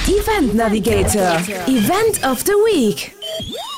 Event Navigator, Event of the Week.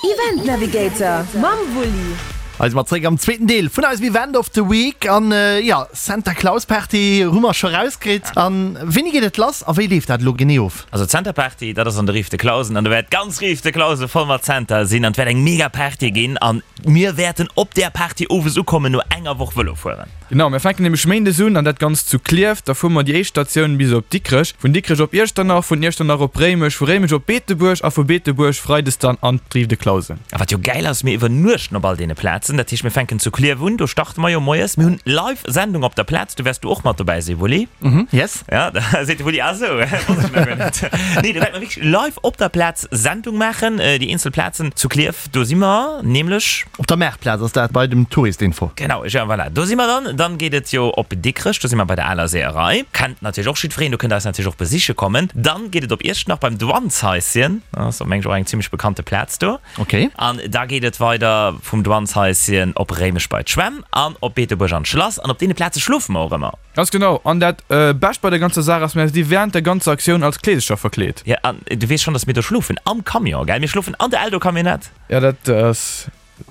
Event Navigator mam Wulli. Hei si mer zréck am zweeten Deel vun eisem Event of the Week an jo, Santa Claus Party hu mer scho rauskritt. An wéini geet et lass a wéi leeft dat elo genee of? Also d'Santa Party, dat ass an der Rive de Clausen an do wäert d'ganz Rive de Clausen voll mat Santa sinn an et wäert eng mega Party ginn an mir wäerten op där Party owes ukommen no enger Woch Vëlo fueren. Genau, mir fänken nämlech méindes un an dat Ganzt zu Klierf. Da fuere mer déi éischt Statioun bis op Dikrech, vun Dikrech op Iechternach, vun Iechternach op Réimech, vu Réimech op Beetebuerg a vu Beetebuerg freides dann an d'Rive de Clausen. A wat jo gäil ass, mir iwwernuechten op all deene Plazen. Dat heescht, mir fänken zu Klierf un, do starte mer jo moies. Mir hunn live Sendung op der Plaz, do wäers du och mat dobäi sinn, Wulli. Mhm, yes. Ja, da seet de Wulli, ah sou, wosst ech nach guer net. Nee, do wäerte mer wierklech live op der Plaz Sendung maachen, déi eenzel Plazen zu Klierf. Do si mer nämlech. Op der Maartplaz ass dat, bei dem Touristinfo. Genau, ja voilà, do si mer dann. Dann geet et jo op Dikrech, do si mer bei der aler Seeërei. Kennt natierlech och jiddwereen, do kënnt der eis natierlech och besiche kommen. Dann geet et op Iechternach beim Douaneshaischen, dat ass meng ech och eng zimmlech bekannte Plaz do. Ok. An da geet et weider vum Douaneshaischen op Réimech bei d'Schwämm an op Beetebuerg an d'Schlass. An op deene Plaze schlofe mer och ëmmer. Ganz genau, an dat Bescht bei der ganzer Saach ass, mär si während der ganzer Aktioun als Kleesecher verkleet. Jo, an du weess schonn, dass mir do schlofen am Camion, gell? Mir schlofen an der Eldo-Camionnette. Jo, dat ass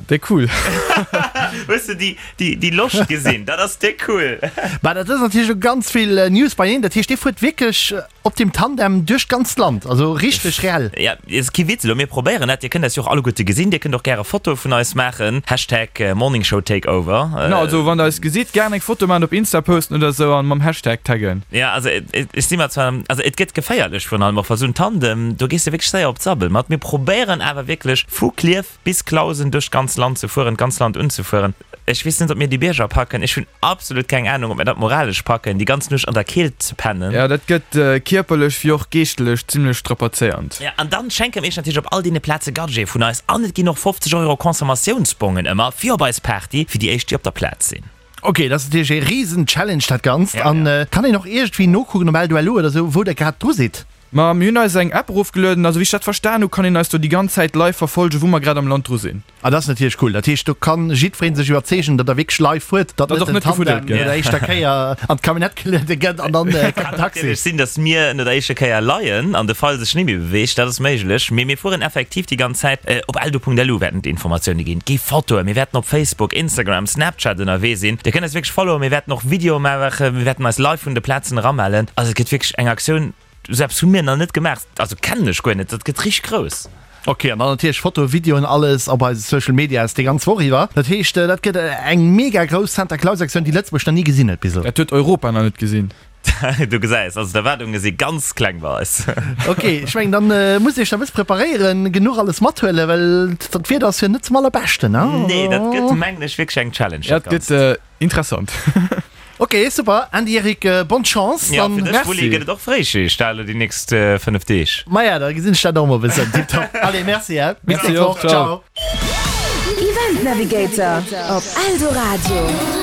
déck cool. Hues de déi, déi, déi Loscht gesinn? Dat ass déck cool. Bah, dat ass natierlech elo ganz vill News beieen. Dat heescht, dir fuert wierklech Op dem Tandem duerch d'ganzt Land, also richteg reell. Ja, ass kee Witz elo, mir probéieren dat. Dir kënnt eis jo och alleguerte gesinn. Dir kënnt och gäre Fotoe vun eis maachen, Hashtag Morningshowtakeover. Genau, also wann der eis gesitt, gären eng Foto maachen, op Insta posten oder sou an mam Hashtag taggen. Ja, also ech si mer zwar, also et gëtt geféierlech virun allem och, well sou en Tandem, do gees de wierklech séier op d'Sabbel mat. Mir probéieren awer wierklech vu Klierf bis Clausen duerch d'ganz Land ze fueren, d'ganz Land unzefueren. Ech weess net, ob mir déi Bierger packen. Ech hunn absolut keng Ahnung, ob mir dat moralesch packen, déi ganz Nuecht an der Keelt ze pennen. Ja, dat gëtt kierperlech wéi och geeschtlech zimlech strapazéiernd. Ja, an dann schenke mir iech natierlech op all deene Plaze Gadgete vun eis an et ginn och 50 Euro Consommatiounsbongen ëmmer fir op eis Party fir déi éischt, déi op der Plaz sinn. Ok, dat ass natierlech ee riesen Challenge dat Ganzt. An kann een och iergendwéi nokucken op L2LU oder sou, wou der grad dru sidd? Ma mir hunn eis eng App erofgelueden, also wéi ech dat verstan hu kann een eis do déi ganz Zäit live verfolgen wou mer grad am Land dru sinn. Ah dat ass natierlech cool, dat heescht do kann jiddwereen sech iwwerzeegen datt der wierklech live fuert, datt net den Tandem no der éischter Kéier an d'Camionnette geluede gëtt an dann kënnt den Taxi. Kann natierlech sinn datt mir no der éischter Kéier leien an de Feil sech net méi beweegt, dat ass méiglech, mee mir fueren effektiv déi ganz Zäit. Op eldo.lu wäerten d'Informatioune ginn, et gi Fotoen, mir wäerten op Facebook, Instagram, Snapchat ënnerwee sinn, dir kënnt eis wierklech followen, mir wäerten och Videoe maachen, mir wäerten eis live vun de Plazen eramellen, also et gëtt wierklech eng Aktioun. Sou eppes hu mir nach net gemaach, also kennen ech guer net, dat gëtt richteg grouss. Ok, an dann natierlech Fotoen, Videoen, alles op eise Social Medias déi ganz Woch iwwer. Dat heescht, dat gëtt eng mega grouss Santa Claus Aktioun, déi Lëtzebuerg nach ni gesinn huet bis elo. Dat huet Europa nach net gesinn. Du gesäis, also d'Erwaardunge si ganz kleng bei eis. Ok, ech mengen dann musst Dir iech nach e bësse preparéieren, genuch alles mathuelen, well d'Wieder ass jo net zum allerbeschten, ne? Nee, dat gëtt mengen ech wierklech eng Challenge, dat Ganzt. Dat gëtt Interessant. Ok, super Andy, Eric, bonne Chance Ja, fir dech Wulli gëtt et och Fréischicht da elo déi nächst 5 Deeg. Maja, da gesinn ech dat och mol e bëssen. Tiptop. Allez, merci he. Bis nächst Woch. Ciao. Event Navigator op Eldoradio.